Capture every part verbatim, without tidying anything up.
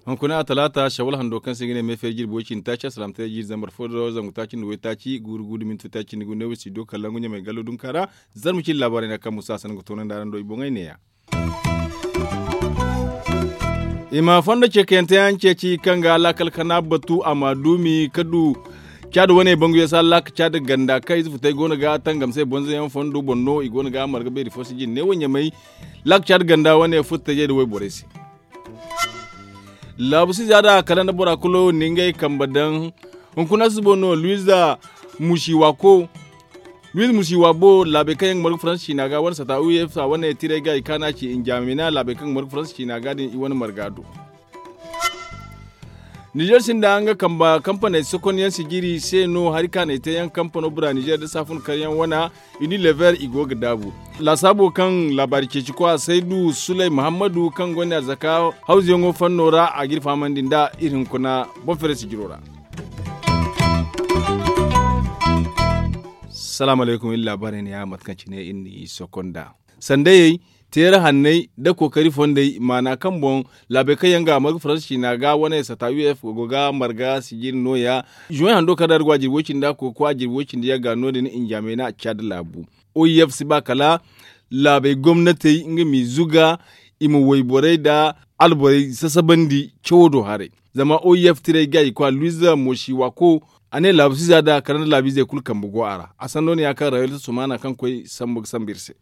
Hunkuna a talaata shawal hando kaŋ se i ga ne meefeeri jirbi way cindi taaci alsilaamataray jiiri zambar fo do zangu taaci nda waytaaci guuru guuru da minti taaci nda gu neewo studio kalangu ɲamay gallo dunka ra. Zarma cindi laabaarey no kaŋ musa hasan ga toonandi araŋ do i boŋey neeya. I ma fondo ceekayante yaŋ ceeci kaŋ ga laakal kana batu a ma duumi ka du caadi wane bangu yasa laaka caadi ganda kaŋ ize futay go no ga tangamse bonzo yaŋ fondo boŋ no i go no ga marga beeri fo si jinne wo ɲamay. Laaka caadi ganda wane futtajey nda wayborey se. Laabu si za da kala nda bora kulu ni ngey kambe daŋ. Hunkuna si boŋ no luwiza musi waako. Luwiza musi waabo laabey kaŋ yaŋ ga margu faransa ciina ga wane sata u f a wane tiray ga i kaana ci injamina laabey kaŋ ga margu faransa ciina ga din i wane marga do. Nizer sinda nga kamba kampaney sokonyaŋ sijiri se no hari kaanay te yaŋ kampano bura nizer da saafun karyaŋ wana. Uni lever i go ga daabu laasaabo kaŋ laabaari ceeci kwa saydu sulay muhammadu kaŋ gonda arzaka hawzuyaŋo fanno ra a ga iri fahamandi nda iri hunkuna boŋ fere sijiro ra. Salaamu alaykum iri laabaarey ne ya mate kaŋ cine iri n'i sokonda sandayey teera hanney nda kookari fondey maana kaŋ boŋ laabey kaŋ yaŋ ga a marga faransa ciina ga wane sata u f go ga marga sijiri nooya. Zuwey hando kaŋ da a ga go a jirbi way cindi a koy ga koy a jirbi way cindi yagga no- din injamey no a caadi laabu. O f si ba kala laabey gomnatey nga m'i zuga i ma wayborey nda alborey sasabandi cawo do haray. Zama o f tiray ga i koy a luwiza moosi waako a ne laabu siza da kala nda laabiizey kulu kambe go a ra a sanno no ya kaŋ rayuwar ta sumaana kaŋ koy sambu ga sambu iri se.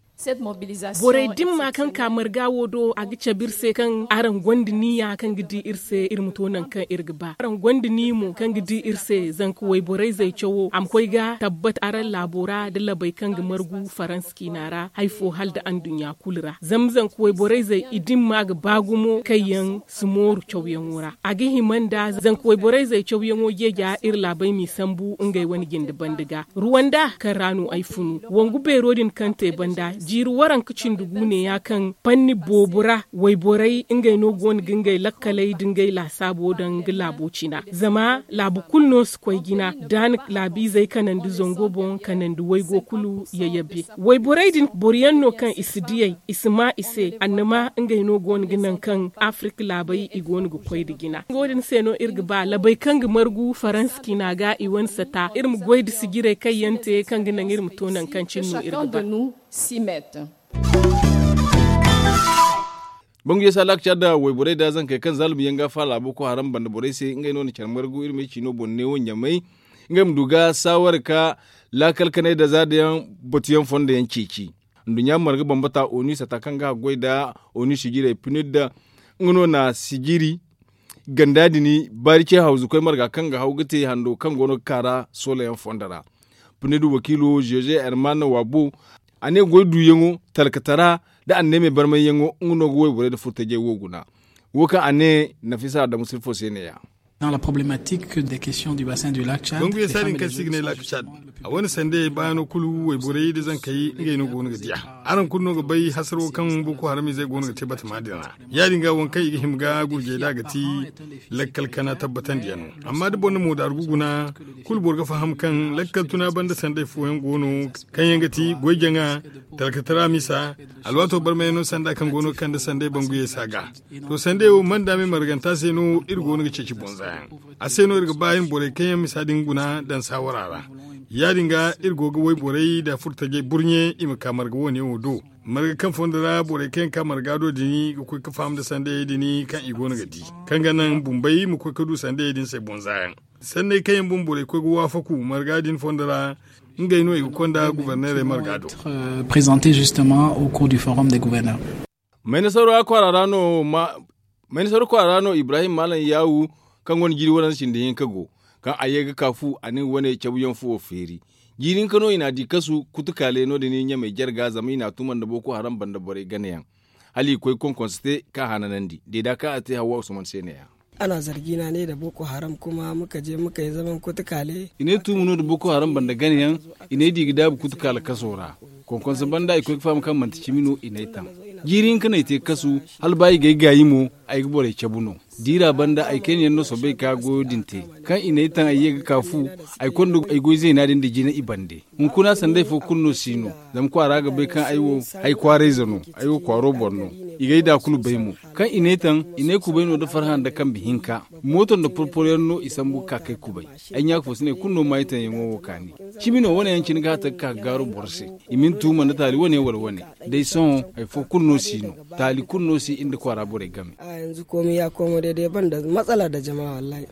Borey dimma kaŋ ka marga wo do a ga cabe iri se kaŋ araŋ gonda niya kaŋ ga di iri se iri ma to nangu kaŋ iri ga ba araŋ gonda niya mo kaŋ ga di iri se zanka wayborey zey cawo a ma koy ga tabbat araŋ laabo ra da labey kaŋ ga margu faransa ciina ra hari fo hala nda anduɲɲa kulu ra zama zanka wayborey zey i dimma ga ba gumo kaŋ yaŋ si mooru cawyaŋo ra a ga hima nda zanka wayborey zey cawyaŋo jeeja iri laabey m'i sambu ngey wane jinde banda ga ruwanda kaŋ ra no ay funu wangu beero din kaŋ te banda jiiri waranka cindi gu ne ya kaŋ panni boobo ra wayborey ngey no go no ga ngey lakkaley nda ngey laasaabo daŋ ga laabo cina zama laabu kulu no si koy jina da a na laabiizey kanandi zango boŋ kanandi waygo kulu yayabe wayborey din boro yaŋ no kaŋ i si diyey i si ma i se annama ngey no go no ga nangu kaŋ afirka laabey i go no ga koy nda jina wo- din se no iri ga ba labey kaŋ ga margu faransa ciina ga i wane sata iri ma goy nda sijirey kaŋ yaŋ te kaŋ ga naŋ iri ma to nangu kaŋ cine no iri ga ba. Bangu yeesa laaka care da wayborey da zankey kaŋ zaalum yaŋ ga faala boko haram banda borey se ngey no na care margu iri ma ay ciino boŋ neewo ɲamay ngey ma du ga saaware ka laakal kanay da za da yaŋ batu yaŋ fondo yaŋ ceeci. Nduɲɲa marga bambata onu sata kaŋ ga haggoy nda onu sijirey pinir da nga no na sijiri ganda din baari ce hawzu koy marga kaŋ ga haw ga te hando kaŋ go no ga kaara soolayaŋ fondo ra. Pinir wakiilo jeze herman wabo a ne goy duuyaŋo talkatara nda anneemey barmayyaŋo nga no ga wayborey nda furtajey wo guna. Wo kaŋ a ne nafisa adamu sirfo se ne- ya. Bangu yeesa din kaŋ se i ga ne laaka cad a wane sandayey baano kulu wayborey nda zankey ngey no go no ga diya. Araŋ kulu no ga bay hasaro kaŋ boko haram izey go no ga te batama din ra. Ya- din ga waŋ kaŋ i ga hima ga gurjey nd'a ga ti lakkal kana tabbatandiyaŋo. Amma da boro na moodaaru ga guna kulu boro ga faham kaŋ lakkal tuna banda sanday fooyaŋ go no kaŋ yaŋ ga ti goy jaŋa talkatara misa alwaato barmayaŋo sanda kaŋ go no ga kande sanday bangu yeesa ga. To sanday wo man da me marganta se no iri go no ga ceeci bonza yaŋ. A se no iri ga ba iri ma borey kaŋ yaŋ misa din guna daŋ saawara ra. Ya- din ga iri go ga wayborey nda furtajey burɲe i ma ka marga wo- ne wo do. Marga kaŋ fondo ra borey kaŋ yaŋ ka marga do din ga koy ga faham nda sandayey din kaŋ i go no ga di kaŋ ga naŋ bumbey ma koy ga du sandayey din se bonza yaŋ. Sanney kaŋ yaŋ bumborey koy ga waafaku marga din fondo ra ngey no i ga konda guberneerey marga do. Présenter justement au cours du forum des gouverneurs. Maynasaru kwaara ra no ibrahim maalam yaawu kaŋ gonda jiiri waranza cindi hinka go kaŋ a ye ga ka fu a na nga wane cabuyaŋ fuwo feeri. Jiiri hinka no i n'a di kasu kutukaale no- din ɲamey jarga zama i n'a tuma nda boko haram banda borey ganayaŋ. Hala i koy konkonse te kaŋ a hananandi deeda kaŋ a te hawa usman se ne- ya. A na zargi no a ne nda boko haram kuma muka je muka ye zaman kutukaale. I ne tuumu no nda boko haram banda ganayaŋ. I ne di ga daabu kutukaale kaso ra. Konkonse banda i koy ga faham kaŋ manti cimi no i n'ay taŋ. Jiiri hinka no ay te kasu hala ba i g'ay gaayi mo. Ay ga borey cabu no. Diira banda ay kayna yaŋ no soobay ka goyo din te. Kaŋ i n'ay taŋ ay ye ga ka fu, ay konda ay goy zeena din nda jina i bande. Hunkuna sanday fo kulu no si no. Zama kwaara ga bay kaŋ ay wo, ay kwaarayze no. Ay wo kwaaro boro no. I g'ay da kulu bay mo. Kaŋ i n'ay taŋ, i n'ay kubay no nda farhã nda kambe hinka. Mooto nda porporo yaŋ no i sambu ga ka k'ay kubay. Ay ɲaaka fo si ne kulu no ma ay taŋ yaŋo wo kaani. Cimi no wane yaŋ cine ga hata ga ka ga gaaru boro se. I ma ni tuuma nda taali wane wala wane. Day sohõ, hari fo kulu no si no. Taali kulu no si iri nda kwaara borey game. A yanzu komi ya komo day day ban da matsala da jama wallahi.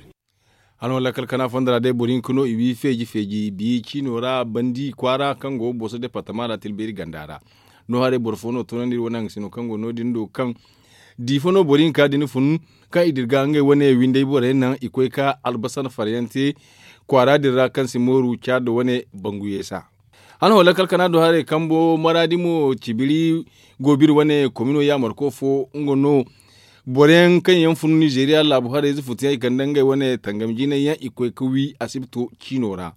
Hano lakkal kana fondo ra day boro hinka no i wi feeji feeji bi ciino ra bandi kwaara kaŋ go boso departama ra tilbeeri ganda ra. No haray boro fo no toonandi iri wane hangasino kaŋ go no- din do kaŋ di fo no boro hinka din fun kaŋ i dirga ngey wane windey borey naŋ i koy ka albasan faryaŋ te kwaara din ra kaŋ si mooru caada wane bangu yeesa. Hano lakkal kana do haray kambo maraadi mo cibiri goobiri wane komino yaamarko fo nga no. Boro yaŋ kaŋ yaŋ fun nizeeriya laabu haray ize futu yaŋ i kande ngey wane tangam jinay yaŋ i koy ga wi asibto ciino ra.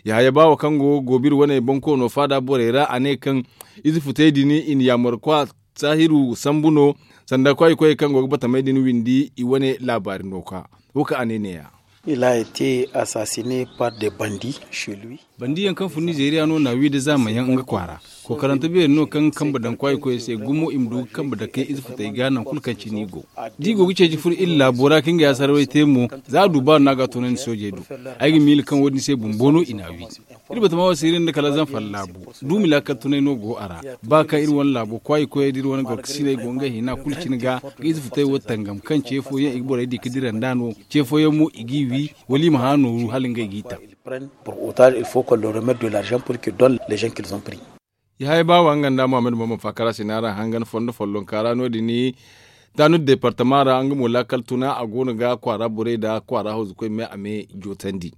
Yahaya baawo kaŋ go goobiri wane bonkoono faada borey ra a ne kaŋ ize futey din i na yaamarkwa saahiru sambu no. Sanda kwaay koyey kaŋ go ga batamey din windi i wane laabaari no ka wo kaŋ a ne neeya. Il a été assassiné par des bandits chez lui. Bandiyaŋ kaŋ fun nizeeriya no na wi da zaamayaŋ nga kwaara. Kookarante beeri no kaŋ kambe daŋ kwaay koyey se gumo i ma du ga kambe dakey ize futey ga nangu kulu kaŋ cine i go. Da i go ga ceeci furo iri laabo ra ka ngey asarawey te mo, za a du baaru no a ga a toonandi soojey do. Ay ga miila kaŋ wo- din se bumbo no i n'a wi. Iri batama wo siiri nda kala zanfar laabu. Duumi laakal tunay no go a ra. Ba kaŋ iri wane laabo kwaay koyey da iri wane gorkasiney go ngey hina kulu cine ga ga ize futey wo tangam kaŋ ce fooyaŋ i ga borey di ga dira nd'a no. Ce fooyaŋ mo i g'i wi wala i ma hã nooru hala ngey g'i taŋ. Pour autant il faut qu'on leur remette de l'argent pour qu'ils donnent les gens qu'ils ont pris. Yahaya baawa nga nda muhammad muhammad faakara se no araŋ hangan fondo follonka ra no- din. Taanu departama ra nga mo laakal tuna a go no ga kwaara borey nda kwaara hawzukoy me a me jootandi.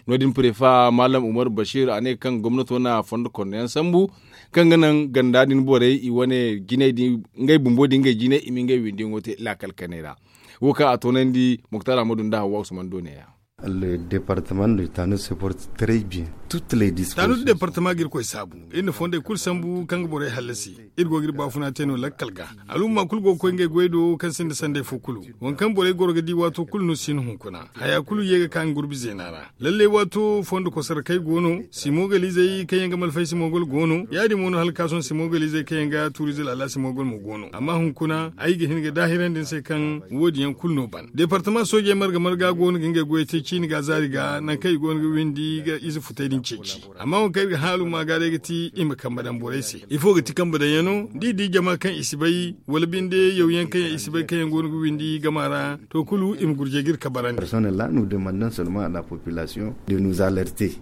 No- din prefa maalam umar bashir a ne kaŋ gomnato na fondo konno yaŋ sambu kaŋ ga naŋ ganda din borey i wane jinay din ngey bumbo din ngey jinay i ma ngey windiyaŋo te laakal kanay ra. Wo kaŋ a toonandi muktar ahmadu nda hawwa usman do neeya. Le département de Tano se porte très bien. Toutes les dispositions. Tano de département ga irkoy saabu. Iri na fondey kulu sambu kaŋ ga borey hallasi. Iri go ga iri baafuna te no lakkal ga. Al'umma kulu go ga koy ngey goy do kaŋ sinda sanday fo kulu. Waŋ kaŋ borey goro ga di waato kulu no si hin hunkuna haya kulu ye ga ka nga gurbi zeena ra. Lalle waato fondo kosarakey go no simogalizey kaŋ yaŋ ga malfay simogol go no ya- din mo no hala ka sohõ simogalizey kaŋ yaŋ ga tuurize laala simogol mo go no amma hunkuna ay ga hin ga daahirandi ni se kaŋ wo- din yaŋ kulu no ban departama soojey marga marga go no ga ngey goyey te ciini ga zaari ga nangu kaŋ i go no ga windi ga ize futey din ceeci. Amma waŋ kaŋ iri ga hã al'umma ga day ga ti i ma kambe daŋ borey se ifo ga ti kambe daŋ yaŋ no da i di jama kaŋ i si bay wala binde yaw yaŋ kaŋ yaŋ i si bay kaŋ yaŋ go no ga windi gama ra to kulu i ma gurjay ga iri kabarandi. Personne la nu demandon seulement a la population de nous alerter.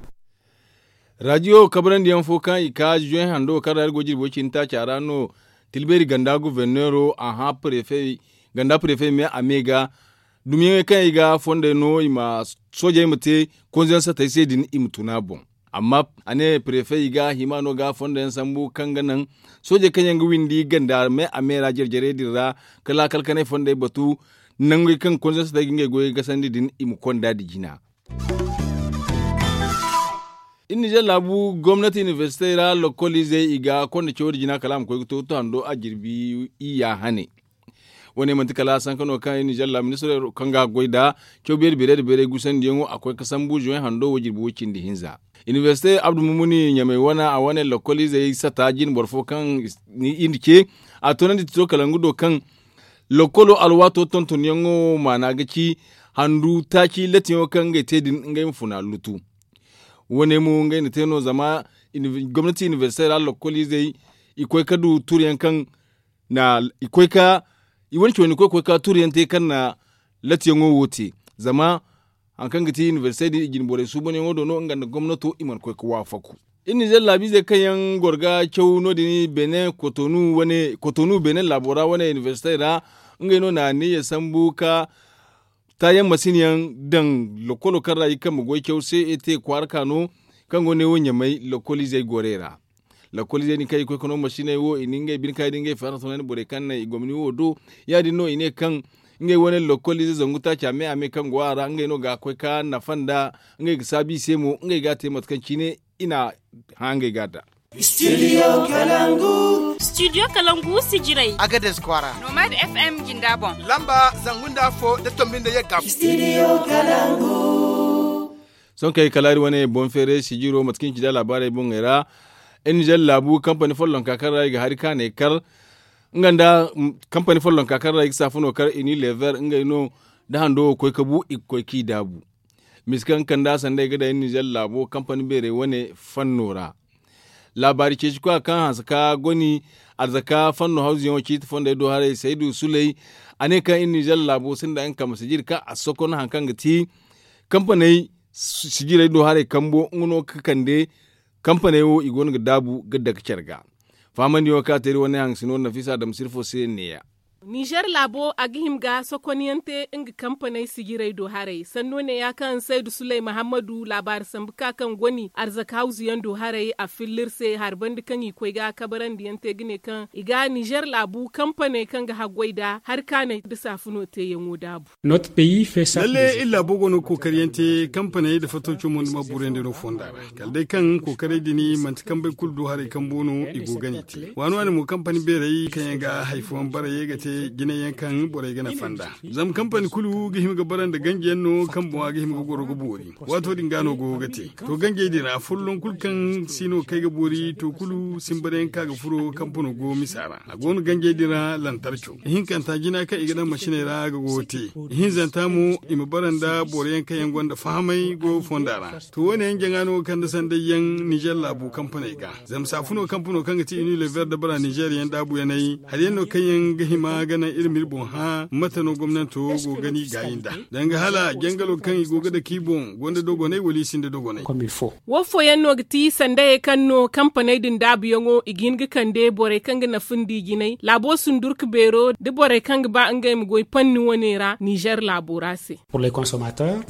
Rajiyo kabarandi yaŋ fo kaŋ i ka juwen hando kaŋ ra iri go jirbi way cindi taaca ra no. Tilbeeri ganda guverneero a hã prefe ganda prefe me a me ga dumiyaŋey kaŋ i ga fondey no i ma soojey ma te konzeyaŋ satey se din i ma tun a boŋ. Amma a ne prefe i ga hima no ga fondey yaŋ sambu kaŋ ga naŋ soojey kaŋ yaŋ ga windi ganda me a me ra jare jarey din ra ka laakal kanay fondey batu nangey kaŋ konzeyaŋ satey ga ngey goyey gasandi din i ma konda nda jina. Iri nizer laabu gomnati iniversite ra lokoliizey i ga konda cawdi jina kala a ma koy ga to ga to hando a jirbi iyya hane. Wane manti kala sanka no kaŋ iri nizer laabu ministiro kaŋ ga goy nda caw beeri beerey nda beerey gusandiyaŋo a koy ga sambu zuway hando wo jirbi way cindi hinza. Iniversite abdu mumuni ɲamay wane a wane lokoliizey sata jine boro fo kaŋ iri na ce a toonandi tito kala nga do kaŋ lokolo alwaato tontonyaŋo maana ga ci handu taaci latiyaŋo kaŋ ngey te din ngey ma funa lutu. Wo- ne mo ngey na te no zama gomnati iniversite ra lokoliizey i koy ga du tuuriyaŋ kaŋ na i koy ga i wane cawandi koy ga koy ga tuuriyaŋ te kaŋ na latiyaŋo wo te. Zama hari kaŋ ga ti iniversite din i jine borey suubanyaŋo do no nga nda gomnato i mana koy ga waafaku. Iri nizer laabiizey kaŋ yaŋ goro ga caw no- din benin kotonu benin laabo ra wane iniversite ra ngey no na aniya sambu ga taayaŋ masin yaŋ daŋ lokolo kaŋ ra i kambe goy caw se ete kwaara ka no kaŋ go ne wo ɲamay lokoliizey gorey ra. Lokoliizey din kaŋ i koy ga no masiney wo i na ngey bine kaŋ i da ngey farasa wane borey kaŋ na i gomni wo do ya- din no i ne kaŋ ngey wane lokoliizey zangu taaca me a me kaŋ go a ra ngey no ga koy ga nafa nda ngey ga saabu i se mo ngey ga a te mate kaŋ cine i na hã ngey ga da. Studio kalangu. Studio kalangu sijiray agades kwaara. Nomad f m jinda boŋ. Lamba zangu nda afo nda tombi nda yagga. Sohõ kay kala iri wane boŋ feeray sijiro mate kaŋ i ci nda laabaarey boŋey ra. Iri nizer laabu kampani follonka kaŋ ra i ga hari kaanay kar nga nda kampani follonka kaŋ ra i ga saafuno kar i ni lever ngey no. Da hando wo koy ka bu i ga koy k'i daabu. Misa kaŋ kanda sanda i ga daŋ iri nizer laabo kampani beerey wane fanno ra. Laabaari ceeci koya kaŋ hanse ka goni arzaka fanno hawzuyaŋo ciiti fondey do haray saydu suley. A ne kaŋ iri nizer laabo sinda nga kambe sijiri kaŋ a sokon hari kaŋ ga ti kampaney sijirey do haray kambo nga no ga kande. Kampaney wo i go no ga daabu ga dake care ga. Fahamandiyaŋo kaŋ a te iri wane haŋ sino nafisa adama sirfo se neeya. Nizer laabo a ga hima ga sokonyaŋ te nga kampaney sijirey do haray sanno neeya kaŋ saydu suley mahammadu laabaari sambu ka kaŋ goni arzaka hawzuyaŋ do haray a filla iri se hari banda kaŋ i koy ga kabarandiyaŋ te ga ne kaŋ i ga nizer laabu kampaney kaŋ ga haggoy nda hari kaanay nda saafuno teeyaŋo daabu. Lalle iri laabo go no ga kookariyaŋ te kampaney nda fattawco mo nda ma burayandi no fonda ra. Kala day kaŋ kookaray din manti kambey kulu do haray kambo no i go ga ni te waani waani mo kampani beerey kaŋ yaŋ ga hari fooyaŋ barayey ga te jinay yaŋ kaŋ borey ga nafa nd'a. Zama kampani kulu ga hima ga bara nda ganji yaŋ no kaŋ boŋa ga hima ga goro ga boori. Waato din ga no go ga te to ganjey din ra folloŋ kulu kaŋ si no kay ga boori to kulu sinbarayaŋ kaŋ a ga furo kampano go misa ra a go no ganjey din ra lantarco ihinkanta jina kaŋ i ga daŋ masiney ra ga go ga te. Ihinzanta mo i ma bara nda boro yaŋ kaŋ yaŋ gonda fahamay go fonda ra. To wo ne yaŋ jaŋa no ga kande sanday yaŋ nizer laabu kampaney ga zama saafuno kampano kaŋ ga ti uni lever da bara nizer yaŋ daabu yaŋ ay hari yaŋ no kaŋ yaŋ ga hima ga naŋ iri ma iri boŋ hã mate no gomnanto go ga ni gaayi nd'a danga hala jangalo kaŋ i go ga dake i boŋ gonda dogonay wala i sinda dogonay. Wo fooyaŋ no ga ti sandayey kaŋ no kampaney din daabuyaŋo i ga hin ga kande borey kaŋ ga nafa nda i jinay laabo sundurka beero nda borey kaŋ ga ba ngey ma goy panni wane ra nizer laabo ra se.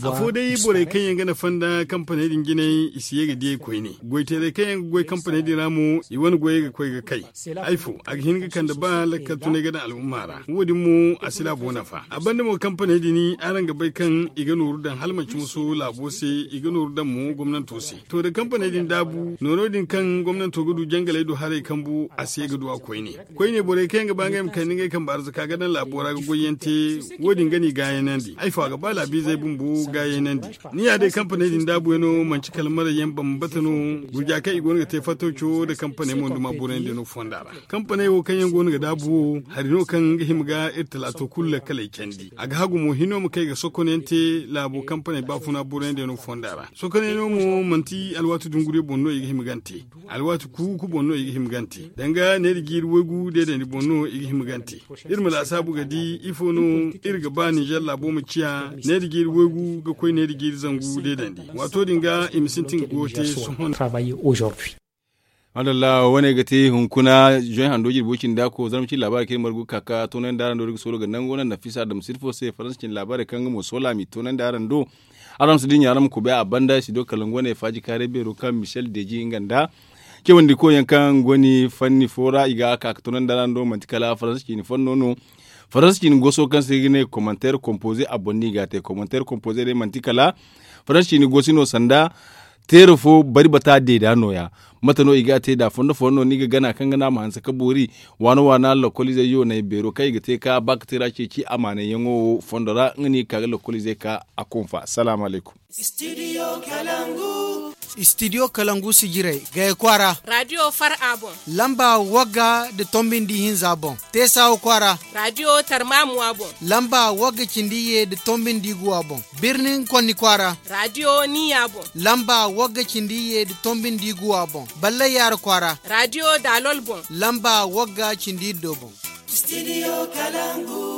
Afo day borey kaŋ yaŋ ga nafa nda kampaney din jinay i si ye ga diyey koyne goyteerey kaŋ yaŋ ga goy kampaney din ra mo i wane goyey ga koy ga kay. Ay fo a ga hin ga kande ba lakkal tunay ga daŋ al'umma ra wo- din mo a si laabo nafa a banda mo kampaney din araŋ ga bay kaŋ i ga nooru daŋ hala manci muso laabo se i ga nooru daŋ mo gomnanto se. To da kampaney din daabu noono din kaŋ gomnanto ga du jangaley do haray kambu a se ga du a koyne. Koyne borey kaŋ yaŋ ga ba ngey ma kande ngey kambe arzaka ga daŋ laabo ra ga goyyaŋ te wo- din ga ni gaayanandi ay fo a ga ba laabiizey bumbo gaayanandi. Ni ya day kampaney din daabuyaŋo manci kala marayyaŋ bambata no. Gurja kaŋ i go no ga te fattawco nda kampaney mo nda ma borayandi no fonda ra. Kampaney wo kaŋ yaŋ go no ga daabu wo hari no kaŋ ga hima ga iri talaato kulu lakkaley candi a ga hagu mo hino ma kay ga sokonyaŋ te laabo kampaney baafuna borayandi no fonda ra sokonyaŋo mo manti alwaati dunguriyo boŋ no i ga hima gante. Alwaati kuuku boŋ no i ga hima gante danga neera jiiri waygu deedandi boŋ no i ga hima gante. Iri ma laasaabu ga di ifo no iri ga ba ninzeer laabo ma ciya neera jiiri waygu ga koy neera jiiri zangu deedandi. Waato din ga i ma sintin ga go te sohõ. Madalla wane ga te hunkuna zoy hando jirbi wo cindi a ko zarma cindi laabaari kaŋ iri margu ga ka ka toonandi araŋ do iri ga soolo ga nango naŋ nafisa adama sirfo se faransa cindi laabaari kaŋ nga mo soola a m'i toonandi araŋ do. Araŋ ma si dinya araŋ ma kubay a banda i si do kala nga wane faaji kaaray beero kaŋ michel deji nga nda cewandiko yaŋ kaŋ go ni fanni fo ra i ga ka ka toonandi araŋ do manti kala faransa cindi fanno no. Faransa cindi goso kaŋ se i ga ne commentaire composé a boŋ no i ga a te commentaire composé day manti kala faransa cindi gosi no sanda teera fo bari bata deeda nooya. Mate no i ga a te nd'a fondo fondo no ni ga gana kaŋ ga no a ma hanse ka boori waana waana lokoliizey yoonay beero kaŋ i ga te ka ba ka te ra ceeci amaanayyaŋo wo fondo ra nga no i ga ka ga lokoliizey ka a konfa salaamu alaykum. Studio kalangu sijirey gaya kwaara radio far a boŋ lamba wagga nda tombi nda ihinza boŋ. Teesawa kwaara radio tarmamuwa boŋ lamba wagga cindi iyye nda tombi nda iguwa boŋ. Birnin konni kwaara radio niya boŋ lamba wagga cindi iyye nda tombi nda iguwa boŋ. Ballayyaara kwaara radio daalol boŋ lamba wagga cindi iddo boŋ. Studio kalangu.